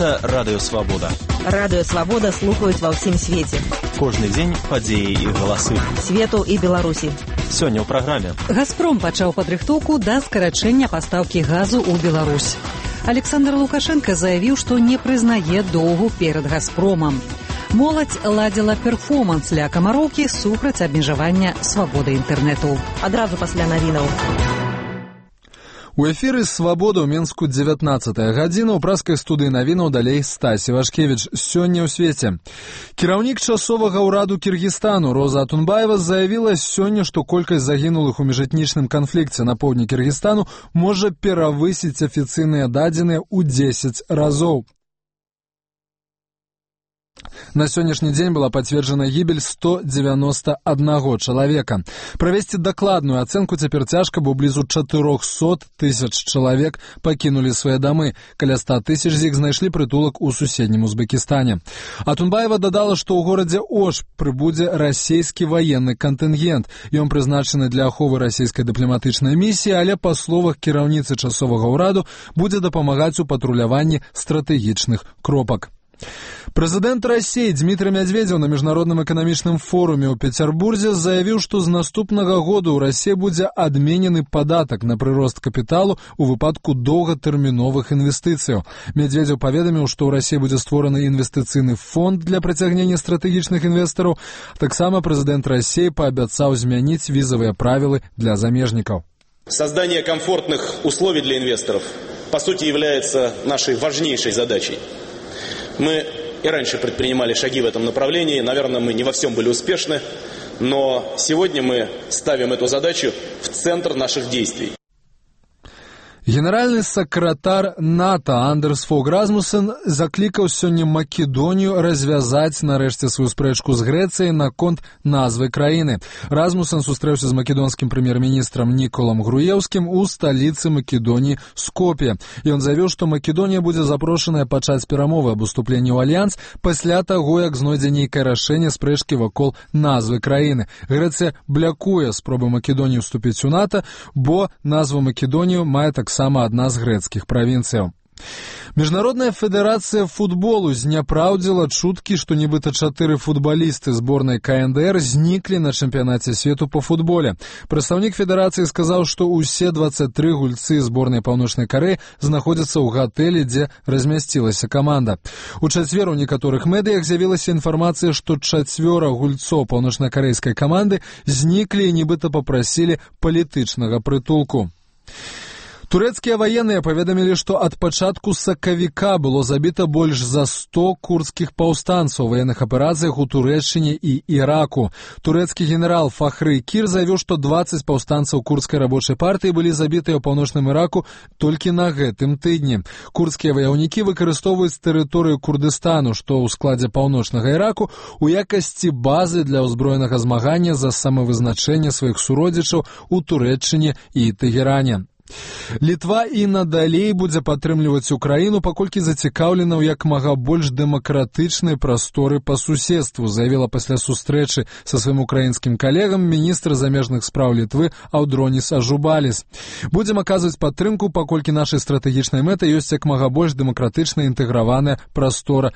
Гэта Радыё Свабода. Радыё Свабода слухаюць ва ўсім свеце. Кожны дзень падзеі і галасы. Свету і Беларусі. Сёння ў праграме. «Газпром» пачаў падрыхтоўку да скарачэння пастаўкі газу ў Беларусь. Александр Лукашенко заявіў, што не прызнае доўгу перад «Газпромам». Моладзь ладзіла перформанс ля камароўкі супраць абмежавання свабоды інтэрнэту. Адразу пасля навінаў. У эфіры «Свабода» ў Менску 19-я гадзіна. У праскай студыі навінаў далей Стась Івашкевіч. Сёння ў свеце. Кіраўнік часовага ўраду Кіргізстану Роза Атунбаева заявіла сёння, што колькасць загінулых у міжэтнічным канфлікце на поўдні Кіргізстану можа перавысіць афіцыйныя дадзеныя ў 10 разоў. На сённяшні дзень была пацверджана гібель 191 чалавека. Правесці дакладную ацэнку цяпер цяжка, бо блізу 400 тысяч чалавек пакінулі свае дамы. Каля 100 тысяч з іх знайшлі прытулак у суседнім Узбекістане. Атунбаева дадала, што ў горадзе Ош прыбудзе расійскі ваенны кантынгент. Ён прызначаны для аховы расійскай дыпламатычнай місіі, але па словах кіраўніцы часовага ўраду будзе дапамагаць у патруляванні стратэгічных кропак. Прэзідэнт Расіі Дмітрый Мядзведзеў на міжнародным эканамічным форуме ў Пецярбурзе заявіў, што з наступнага года ў Расіі будзе адменены падатак на прырост капіталу ў выпадку доўгатэрміновых інвестыцыяў. Мядзведзеў паведаміў, што ў Расіі будзе створаны інвестыцыйны фонд для прыцягнення стратэгічных інвестараў. Таксама прэзідэнт Расіі паабяцаў змяніць візавыя правілы для замежнікаў. Создание комфортных условий для инвесторов, по сути, является нашей важнейшей задачей. Мы и раньше предпринимали шаги в этом направлении. Наверное, мы не во всем были успешны, но сегодня мы ставим эту задачу в центр наших действий. Генеральны сакратар НАТО Андерс Фог Расмуссен заклікаў сёння Македонію развязаць нарэшце сваю спрэчку з Грэцыяй наконт назвы краіны. Расмуссен сустрэўся з македонскім прэм'ер-міністрам Ніколам Груеўскім у сталіцы Македоніі Скоп'е. Ён заявіў, што Македонія будзе запрошаная пачаць перамовы аб уступленні ў альянс пасля таго, як знойдзе нейкае рашэнне спрэчкі вакол назвы краіны. Грэцыя блякуе спробы Македоніі ўступіць у НАТО, бо назву Македонію мае таксама адна з грэцкіх правінцыяў. Міжнародная федэрацыя футболу зняпраўдзіла чуткі, што нібыта 4 футбалісты зборнай КНДР зніклі на чэмпіянаце свету па футболе. Прадстаўнік федэрацыі сказаў, што ўсе 23 гульцы зборнай Паўночнай Карэі знаходзяцца ў гатэлі, дзе размясцілася каманда. У чацвер у некаторых медыях з'явілася інфармацыя, што 4 гульцоў паўночнакарэйскай каманды зніклі і нібыта папрасілі палітычнага прытулку. Турэцкія ваенныя паведамілі, што ад пачатку сакавіка было забіта больш за 100 курдскіх паўстанцаў у ваенных аперацыях у Турэччыне і Іраку. Турэцкі генерал Фахры Кір заявіў, што 20 паўстанцаў курдскай рабочай партыі былі забітыя ў паўночным Іраку толькі на гэтым тыдні. Курдскія ваяўнікі выкарыстоўваюць тэрыторыю Курдыстану, што ў складзе паўночнага Іраку, у якасці базы для ўзброенага змагання за самавызначэнне сваіх суродзічаў у Турэччыне і Тэгеране. Літва і надалей будзе падтрымліваць Украіну, паколькі зацікаўлена ў як мага больш дэмакратычнай прасторы па суседству, заявіла пасля сустрэчы са сваім украінскім калегам міністр замежных спраў Літвы Аўдронис Ажубаліс. Будзем аказваць падтрымку, паколькі нашай стратэгічнай мэтай ёсць як мага больш дэмакратычная інтэграваная прастора